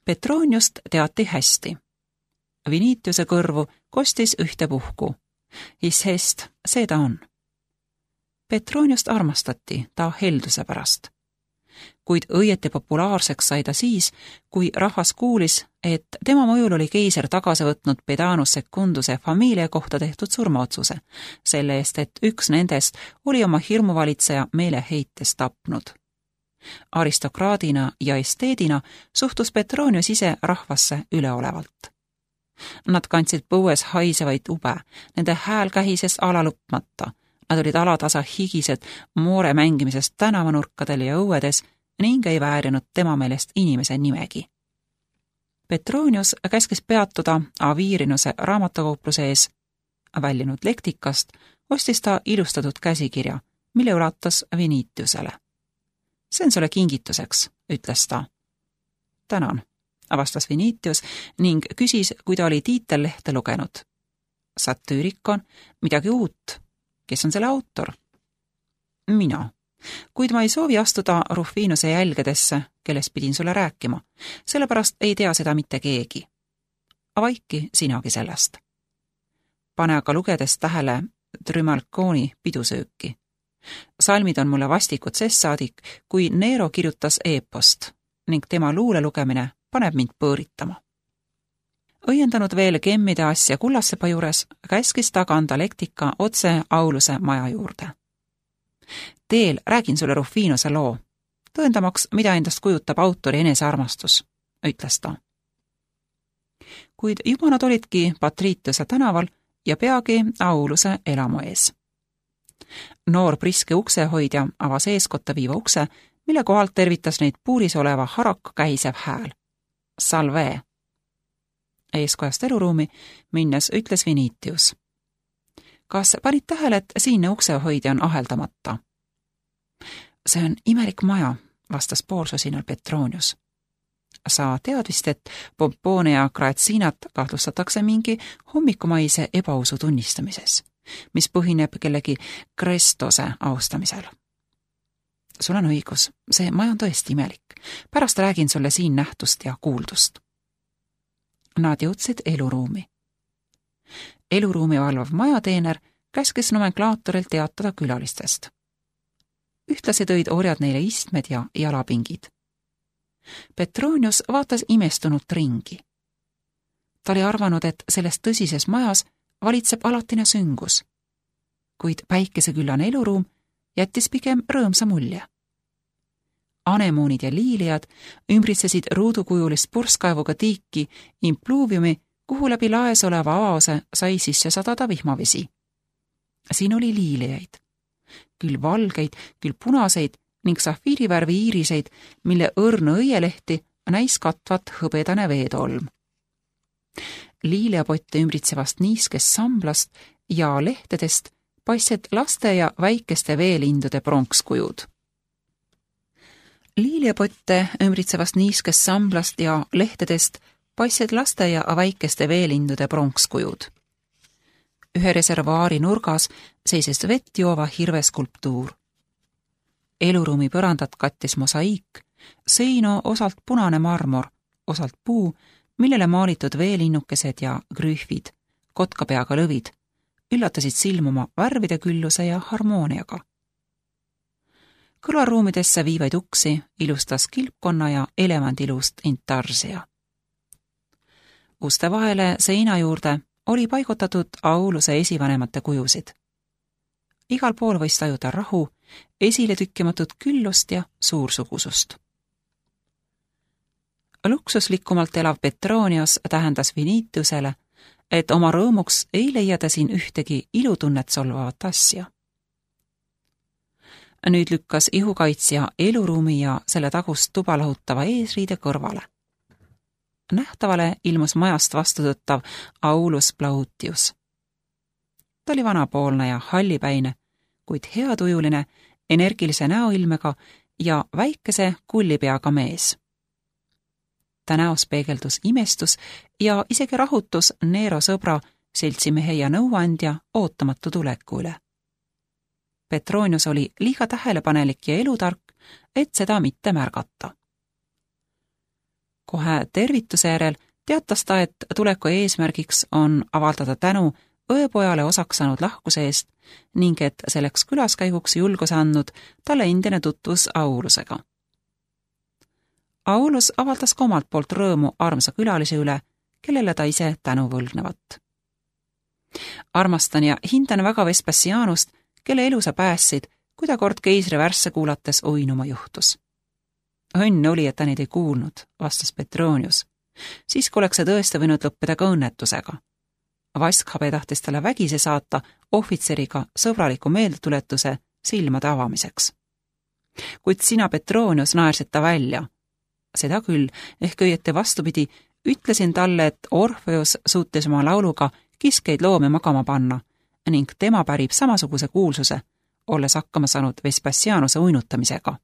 Petroniust teati hästi. Vinitiuse kõrvu kostis ühte puhku. Hist, see ta on. Petroniust armastati ta helduse pärast. Kuid õieti populaarseks sai ta siis, kui rahvas kuulis, et tema mõjul oli keiser tagasi võtnud Pedanus Secunduse familia kohta tehtud surmaotsuse, selle eest, et üks nendest oli oma hirmuvalitseja meeleheites tapnud. Aristokraadina ja esteedina suhtus Petronius ise rahvasse üleolevalt. Nad kandsid põues haisevaid ube, nende hääl kähises alalõpmata, nad olid alatasa higised moore mängimisest tänavanurkadel ja õuedes ning ei väärinud tema meelest inimese nimegi. Petronius käskis peatuda Avirinuse raamatukaupluse ees. Väljunud lektikast ostis ta ilustatud käsikirja, mille ulatas Vinitiusele. See on sulle kingituseks, ütles ta. Tänan, vastas Vinitius ning küsis, kui ta oli tiitellehte lugenud. Satüürikon, midagi uut. Kes on selle autor? Mina. Kuid ma ei soovi astuda Rufinuse jälgedesse, kellest pidin sulle rääkima, sellepärast ei tea seda mitte keegi. Avaiki sinagi sellest. Pane aga lugedes tähele Trimalconi pidusööki. Salmid on mulle vastikud saadik, kui Nero kirjutas eepost ning tema luule lugemine paneb mind põõritama. Õiendanud veel kemmide asja Kullassepa juures, käskis ta kanda lektika otse Auluse maja juurde. Teel räägin sulle Rufinuse loo, tõendamaks, mida endast kujutab autori enesearmastus, ütles ta. Kuid juba nad olidki Patritiuse tänaval ja peagi Auluse elamu ees. Noor priske uksehoidja avas eeskotta viiva ukse, mille kohalt tervitas neid puuris oleva haraka käisev hääl. Salve! Eeskojast eluruumi minnes ütles Vinitius. Kas panid tähele, et siinne uksehoidja on aheldamata? See on imelik maja, vastas poolsosinal Petronius. Sa tead vist, et Pompone ja Graetsinat kahtlustatakse mingi hommikumaise ebausu tunnistamises, mis põhineb kellegi Krestose austamisel. Sul on õigus, see maja on tõesti imelik. Pärast räägin sulle siin nähtust ja kuuldust. Nad jõudsid eluruumi. Eluruumi valvav majateener käskis nomenklaatoril teatada külalistest. Ühtlasi tõid orjad neile istmed ja jalapingid. Petronius vaatas imestunult ringi. Ta oli arvanud, et selles tõsises majas valitseb alatine süngus, kuid päikeseküllane eluruum jättis pigem rõõmsa mulje. Anemoonid ja liiliad ümbritsesid ruudukujulist purskkaevuga tiiki impluviumi, kuhu läbi laes oleva avaose sai sisse sadada vihmavesi. Siin oli liilijaid, küll valgeid, küll punaseid ning safiirivärvi iiriseid, mille õrna õielehti näis katvat hõbedane veetolm. Liiliapotte ümbritsevast niiskest samblast ja lehtedest paistsid laste ja väikeste veelindude pronkskujud. Liiliapotte ümbritsevast niiskest samblast ja lehtedest paistsid laste ja väikeste veelindude pronkskujud. Ühe reservaari nurgas seisis vett joova hirveskulptuur. Eluruumi põrandat kattis mosaiik, seino osalt punane marmor, osalt puu, millele maalitud veelinnukesed ja grüüfid, kotkapeaga lõvid, üllatasid silmuma värvide külluse ja harmooniaga. Kõrvalruumidesse viivaid uksi ilustas kilpkonna ja elevandilust intarsia. Uste vahele seina juurde oli paigutatud Auluse esivanemate kujusid. Igal pool võis tajuda rahu, esile tükkimatud küllust ja suursugusust. Luksuslikumalt elav Petronius tähendas Vinitiusele, et oma rõõmuks ei leia ta siin ühtegi ilutunnet solvavat asja. Nüüd lükkas ihukaitsja eluruumi ja selle tagust tuba lahutava eesriide kõrvale. Nähtavale ilmus majast vastutõttav Aulus Plautius. Ta oli vanapoolne ja hallipäine, kuid heatujuline, energilise näoilmega ja väikese kullipeaga mees. Ta näos peegeldus imestus ja isegi rahutus Nero sõbra, seltsimehe ja nõuandja ootamatu tuleku üle. Petronius oli liiga tähelepanelik ja elutark, et seda mitte märgata. Kohe tervituse järel teatas ta, et tuleku eesmärgiks on avaldada tänu õepojale osaks saanud lahkuse eest ning et selleks külaskäiguks julguse andnud talle endine tutvus Aulusega. Aulus avaldas ka omalt poolt rõõmu armsa külalise üle, kellele ta ise tänu võlgnevat. Armastan ja hindan väga Vespasianust, kelle elu sa päästsid, kui ta kord keisri värsse kuulates uinuma juhtus. Õnn oli, et ta neid ei kuulnud, vastas Petronius. Siis kui oleks see tõesti võinud lõppeda ka õnnetusega. Vaskhabe tahtis talle vägisi saata ohvitseriga sõbraliku meeldetuletuse silmade avamiseks. Kuid sina, Petronius, naersid ta välja. Seda küll, ehk õieti vastupidi, ütlesin talle, et Orfeus suutis oma lauluga kiskeid loomi magama panna ning tema pärib samasuguse kuulsuse, olles hakkama saanud Vespasianuse uinutamisega.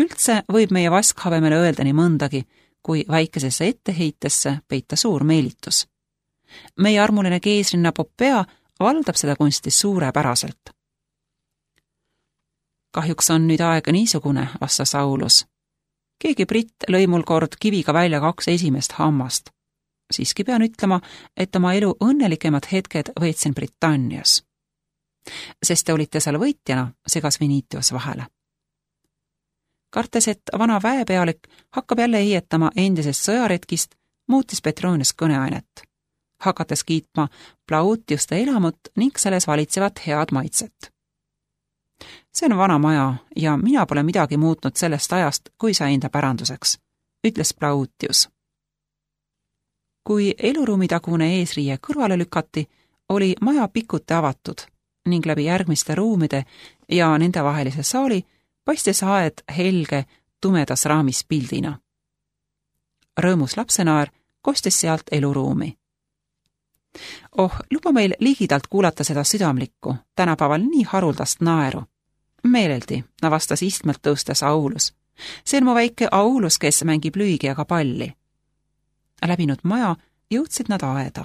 Üldse võib meie vaskhabemele öelda nii mõndagi, kui väikesesse etteheitesse peita suur meelitus. Meie armuline keisrinna Popea valdab seda kunsti suurepäraselt. Kahjuks on nüüd aega niisugune, vastas Aulus. Keegi britt lõi mul kord kiviga välja 2 esimest hammast. Siiski pean ütlema, et oma elu õnnelikemad hetked võitsin Britannias. Sest te olite seal võitjana, segas Venitius vahele. Kartes, et vana väepealik hakkab jälle heietama endisest sõjaretkist, muutis Petronius kõneainet, hakates kiitma Plautiuste elamut ning selles valitsevat head maitset. See on vana maja ja mina pole midagi muutnud sellest ajast, kui sai enda päranduseks, ütles Plautius. Kui eluruumitagune eesriie kõrvale lükati, oli maja pikuti avatud ning läbi järgmiste ruumide ja nende vahelise saali paistis aed helge tumedas raamis pildina. Rõõmus lapsenaer kostis sealt eluruumi. Luba meil ligidalt kuulata seda südamlikku, tänapäeval nii haruldast naeru. Meeleldi, vastas istmelt tõustes Aulus. See on mu väike Aulus, kes mängib Lüügiaga palli. Läbinud maja jõudsid nad aeda.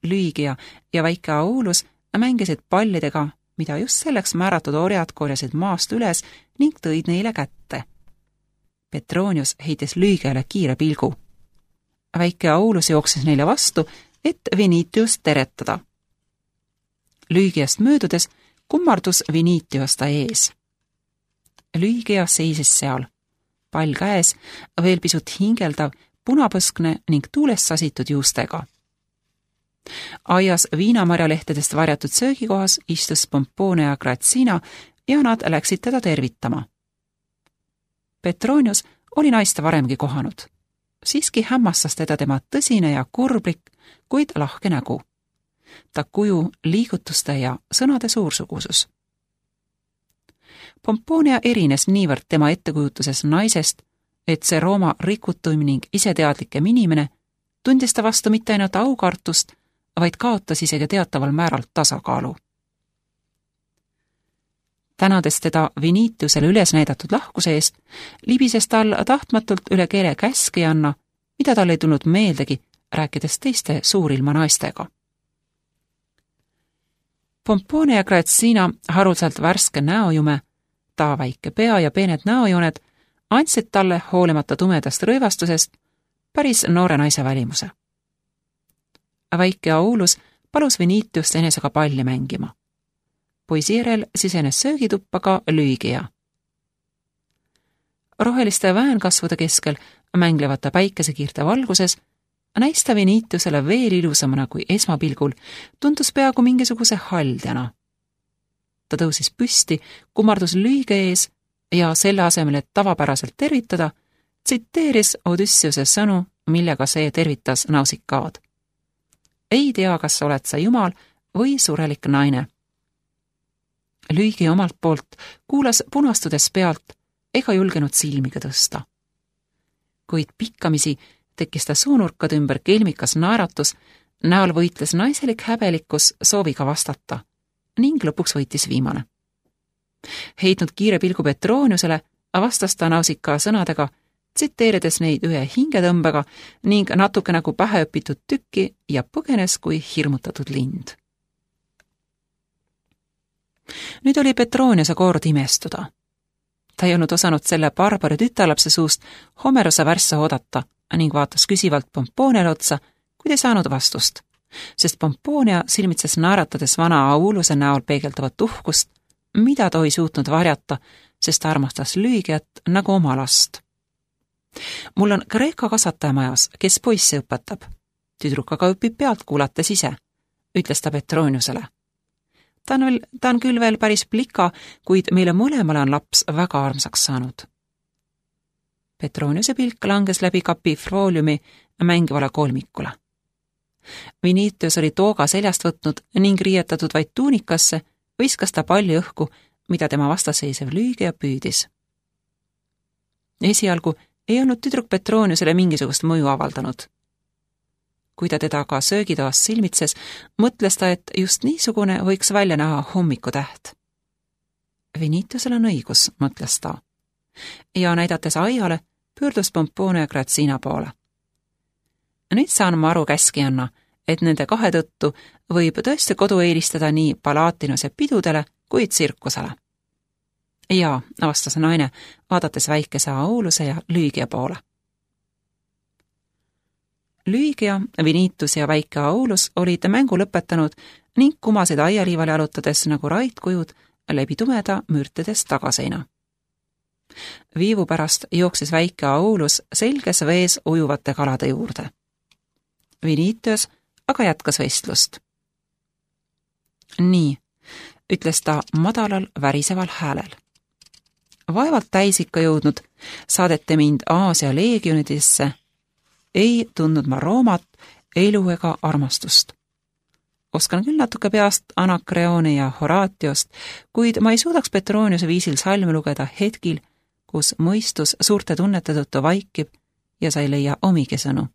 Lüügia ja väike Aulus mängisid pallidega, mida just selleks määratud orjad korjasid maast üles ning tõid neile kätte. Petronius heitis Lüügiale kiire pilgu. Väike Aulus jooksis neile vastu, et Venitius teretada. Lüügiast möödudes kummardus Venitius ta ees. Lüügia seisis seal, pall käes, veel pisut hingeldav, punapõskne ning tuulest sasitud juustega. Aias viinamarjalehtedest varjatud söögikohas istus Pomponia ja Grazina ja nad läksid teda tervitama. Petronius oli naist varemgi kohanud. Siiski hämmastas teda tema tõsine ja kurblik, kuid lahke nägu. Ta kuju, liigutuste ja sõnade suursugusus. Pomponia erines niivõrd tema ettekujutuses naisest, et see Rooma rikutuim ning iseteadlikem inimene tundis ta vastu mitte ainult aukartust, vaid kaotas isegi teataval määral tasakaalu. Tänades teda Venitiusele üles näidatud lahkuse eest, libises tal tahtmatult üle keele käskijanna, mida tal ei tulnud meeldegi, rääkides teiste suurilma naistega. Pomponia ja Grazina haruldselt värske näojume, ta väike pea ja peened näojooned andsid talle hoolimata tumedast rõivastusest päris noore naise välimuse. Väike Aulus palus Venitiust enesega palli mängima. Poisi järel sisenes söögituppa ka Lüügia. Roheliste väänkasvude keskel mänglevate päikesekiirte valguses näis ta Venitiusele veel ilusamana kui esmapilgul, tundus peaaegu mingisuguse haldjana. Ta tõusis püsti, kummardus Lüügia ees ja selle asemel, et tavapäraselt tervitada, tsiteeris Odysseuse sõnu, millega see tervitas Nausikaad. Ei tea, kas oled sa jumal või surelik naine. Lüügi omalt poolt kuulas punastudes pealt ega julgenud silmiga tõsta. Kuid pikkamisi tekkis ta suunurkade ümber kelmikas naeratus, näol võitles naiselik häbelikkus sooviga vastata ning lõpuks võitis viimane. Heitnud kiire pilgu Petroniusele, vastas ta Nausika sõnadega, tsiteerides neid ühe hingetõmbega ning natuke nagu pähe õpitud tükki ja põgenes kui hirmutatud lind. Nüüd oli Petroniuse kord imestuda. Ta ei olnud osanud selle barbari tütarlapse suust Homerose värsse oodata ning vaatas küsivalt Pomponiale otsa, kuid ei saanud vastust, sest Pomponia silmitses naeratades vana Auluse näol peegeldavat uhkust, mida ta ei suutnud varjata, sest ta armastas Lygiat nagu oma last. Mul on Kreeka kasvataja majas, kes poissi õpetab. Tüdruk aga õpib pealt kuulates ise, ütles ta Petroniusele. Ta on küll veel päris plika, kuid meile mõlemale on laps väga armsaks saanud. Petroniuse pilk langes läbi kapifooliumi mängivale kolmikule. Vinitius oli tooga seljast võtnud ning riietatud vaid tuunikasse, viskas ta palli õhku, mida tema vastasseisev Lygia püüdis. Esialgu ei olnud tüdruk Petroniusele mingisugust mõju avaldanud. Kui ta teda ka söögitoas silmitses, mõtles ta, et just niisugune võiks välja näha hommikutäht. Vinitiusel on õigus, mõtles ta. Ja näidates aiale, pöördus Pomponia Grazina poole. Nüüd saan ma aru käskijanna, et nende kahe tõttu võib tõesti kodu eelistada nii Palatinuse pidudele kui tsirkusele. Jaa, vastas naine, vaadates väikese Auluse ja Lygia poole. Lygia, Vinitus ja väike Aulus olid mängu lõpetanud ning kumasid aialiivale jalutades nagu raitkujud läbi tumeda mürtedes tagaseina. Viivu pärast jooksis väike Aulus selges vees ujuvate kalade juurde. Vinitus aga jätkas vestlust. Nii, ütles ta madalal väriseval häälel. Vaevalt täis ikka jõudnud, saadete mind Aasia leegionidesse, ei tundnud ma Roomat, elu ega armastust. Oskan küll natuke peast Anakreone ja Horatiost, kuid ma ei suudaks Petroniuse viisil salme lugeda hetkil, kus mõistus suurte tunnete tõttu vaikib ja sa ei leia omigi sõnu.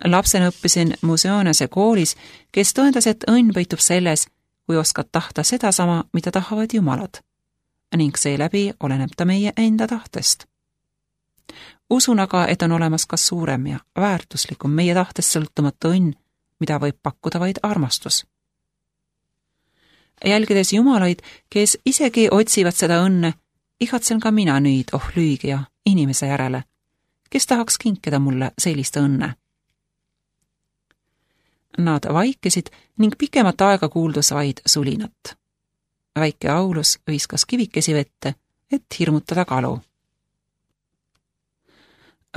Lapsena õppisin Museonese koolis, kes tõendas, et õnn peitub selles, kui oskad tahta sedasama, mida tahavad jumalad, ning seeläbi oleneb ta meie enda tahtest. Usun aga, et on olemas ka suurem ja väärtuslikum meie tahtest sõltumatu õnn, mida võib pakkuda vaid armastus. Jälgides jumalaid, kes isegi otsivad seda õnne, igatsen ka mina nüüd, Lygia, inimese järele, kes tahaks kinkida mulle sellist õnne. Nad vaikisid ning pikemat aega kuuldus vaid sulinat. Väike Aulus viskas kivikesi vette, et hirmutada kalu.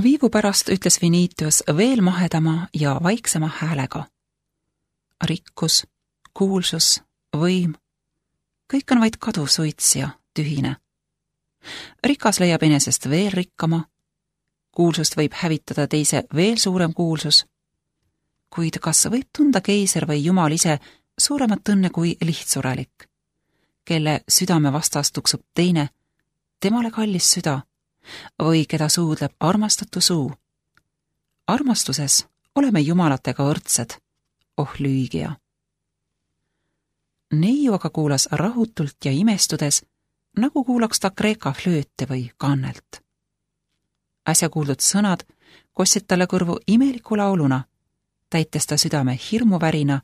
Viivu pärast ütles Vinitius veel mahedama ja vaiksema häälega. Rikkus, kuulsus, võim, kõik on vaid kadusuits ja tühine. Rikas leiab enesest veel rikkama, kuulsust võib hävitada teise veel suurem kuulsus, kuid kas võib tunda keiser või jumal ise suuremat õnne kui lihtsurelik, kelle südame vastas tuksub teine, temale kallis süda, või keda suudleb armastatu suu. Armastuses oleme jumalatega võrdsed, Lygia. Neiu aga kuulas rahutult ja imestudes, nagu kuulaks ta Kreeka flööte või kannelt. Äsja kuuldud sõnad kostsid talle kõrvu imeliku lauluna, täites ta südame hirmuvärina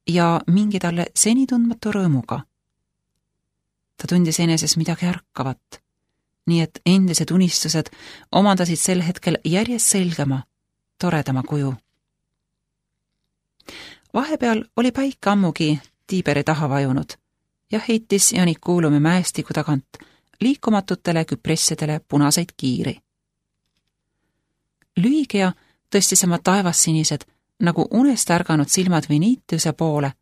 ja mingi talle seni tundmatu rõõmuga. Ta tundis eneses midagi ärkavat, nii et endised unistused omandasid sel hetkel järjest selgema, toredama kuju. Vahepeal oli päike ammugi Tiiberi taha vajunud ja heitis Janikuulumi mäestiku tagant liikumatutele küpressidele punaseid kiiri. Lygia tõstis oma taevassinised nagu unest ärganud silmad Vinitiuse poole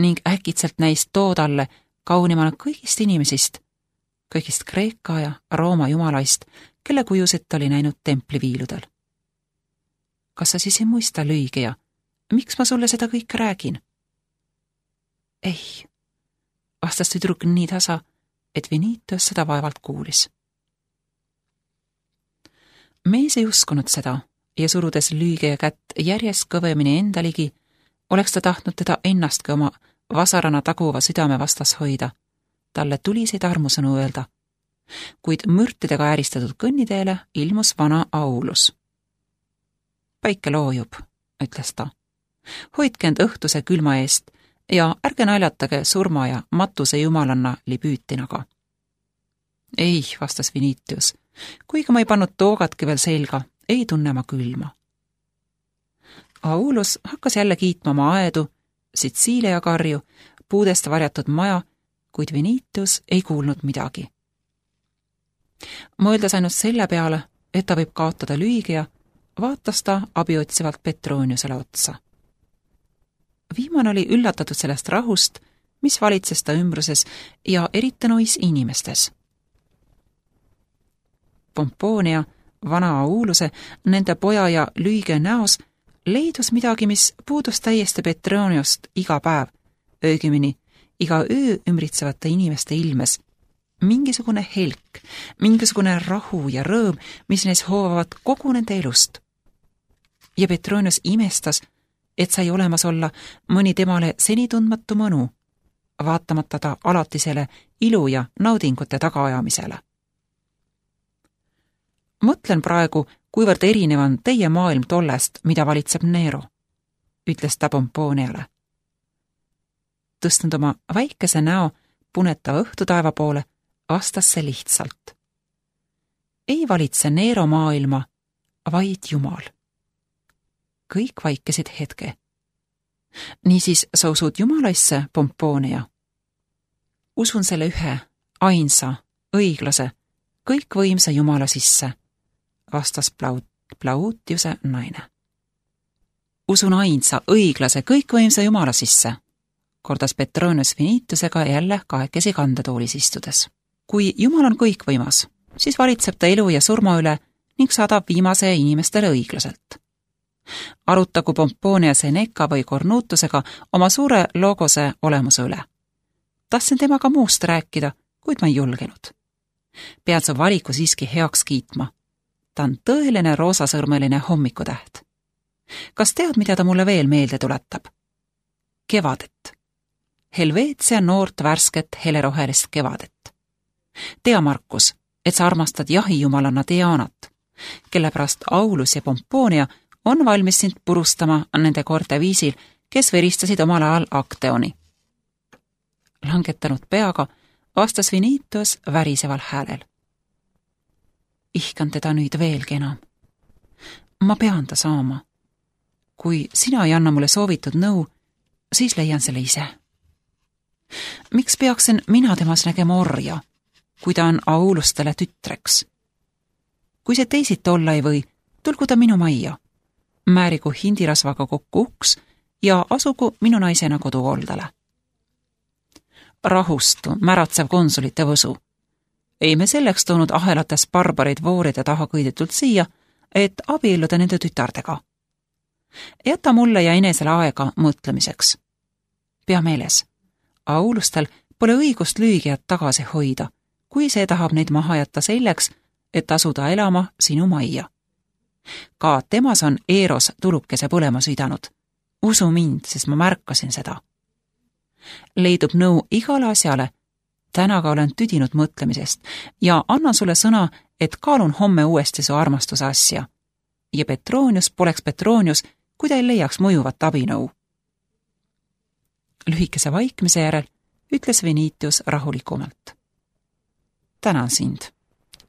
ning äkitselt näis too talle kaunimana kõigist inimesist, kõigist Kreeka ja Rooma jumalaist, kelle kujusid ta oli näinud templiviiludel. Kas sa siis ei muista, Lygia, miks ma sulle seda kõike räägin? Ei, vastas tüdruk nii tasa, et Vinitius seda vaevalt kuulis. Mees ei uskunud seda ja surudes Lygia kätt järjest kõvemini enda ligi, oleks ta tahtnud teda ennastki oma vasarana taguva südame vastas hoida, talle tuliseid armusõnu öelda, kuid mürtidega ääristatud kõnniteele ilmus vana Aulus. Päike loojub, ütles ta. Hoidke end õhtuse külma eest ja ärge naljatage surma ja matuse jumalanna Libüütinaga. Ei, vastas Vinitius. Kuigi ma ei pannud toogatki veel selga, ei tunne ma külma. Aulus hakkas jälle kiitma oma aedu, Sitsiilia karju, puudest varjatud maja, kuid Vinitius ei kuulnud midagi. Mõeldes ainult selle peale, et ta võib kaotada Lüügia, vaatas ta abiotsivalt Petroniusele otsa. Viimane oli üllatatud sellest rahust, mis valitses ta ümbruses ja eriti nois inimestes. Pomponia, vana Auluse, nende poja ja Lüügia näos leidus midagi, mis puudus täiesti Petroniost iga päev, õigemini iga öö ümbritsevate inimeste ilmes. Mingisugune helk, mingisugune rahu ja rõõm, mis neis hoovavad kogu nende elust. Ja Petronius imestas, et sai olemas olla mõni temale seni tundmatu mõnu, vaatamata ta alatisele ilu ja naudingute tagaajamisele. Mõtlen praegu, kuivõrd erinev on teie maailm tollest, mida valitseb Nero, ütles ta Pomponiale. Tõstnud oma väikese näo punetava õhtutaeva poole, vastas see lihtsalt. Ei valitse Nero maailma, vaid Jumal. Kõik vaikesid hetke. Niisiis sa usud Jumalaisse, Pomponia? Usun selle ühe, ainsa, õiglase, kõikvõimsa Jumala sisse, vastas Plautiuse naine. Usun ainsa, õiglase, kõikvõimsa Jumala sisse, kordas Petronius Vinitiusega jälle kahekesi kandetoolis istudes. Kui Jumal on kõikvõimas, siis valitseb ta elu ja surma üle ning saadab viimase inimestele õiglaselt. Arutagu Pomponia Seneca või Cornutusega oma suure logose olemuse üle. Tahtsin temaga muust rääkida, kuid ma ei julgenud. Pean su valiku siiski heaks kiitma. Ta on tõeline roosasõrmeline hommikutäht. Kas tead, mida ta mulle veel meelde tuletab? Kevadet. Helveetsia noort värsket helerohelist kevadet. Tea, Markus, et sa armastad jahijumalana Dianat, kelle pärast Aulus ja Pomponia on valmis sind purustama nende koorte viisil, kes veristasid omal ajal Acteoni. Langetanud peaga vastas Vinitius väriseval häälel. Ihkan teda nüüd veelgi enam. Ma pean ta saama. Kui sina ei anna mulle soovitud nõu, siis leian selle ise. Miks peaksin mina temas nägema orja, kui ta on Aulustele tütreks? Kui see teisiti olla ei või, tulgu ta minu majja. Määrigu hindirasvaga kokku uks ja asugu minu naisena kodukoldale. Rahustu, märatsev konsulite võsu. Ei me selleks toonud ahelates barbareid vooride taha kõidetult siia, et abielluda nende tütardega. Jäta mulle ja enesele aega mõtlemiseks. Pea meeles, Aulustel pole õigust Lüügiat tagasi hoida, kui see tahab neid maha jätta selleks, et asuda elama sinu majja. Ka temas on Eros tulukese põlema süüdanud. Usu mind, sest ma märkasin seda. Leidub nõu igale asjale, tänaga olen tüdinud mõtlemisest ja annan sulle sõna, et kaalun homme uuesti su armastuse asja. Ja Petronius poleks Petronius, kui ta ei leiaks mõjuvat abinõu. Lühikese vaikmise järel ütles Vinitius rahulikumalt. Tänan sind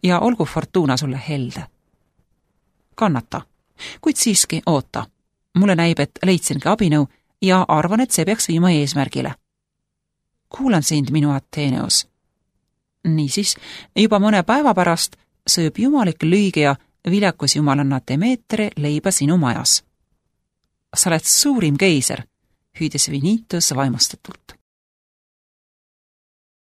ja olgu fortuuna sulle helde. Kannata, kuid siiski oota. Mulle näib, et leidsingi abinõu ja arvan, et see peaks viima eesmärgile. Kuulan sind, minu Atheneus. Niisiis, juba mõne päeva pärast sööb jumalik Lüügia viljakus jumalanna Demetre leiba sinu majas. Sa oled suurim keiser, hüüdis Vinitius vaimustatult.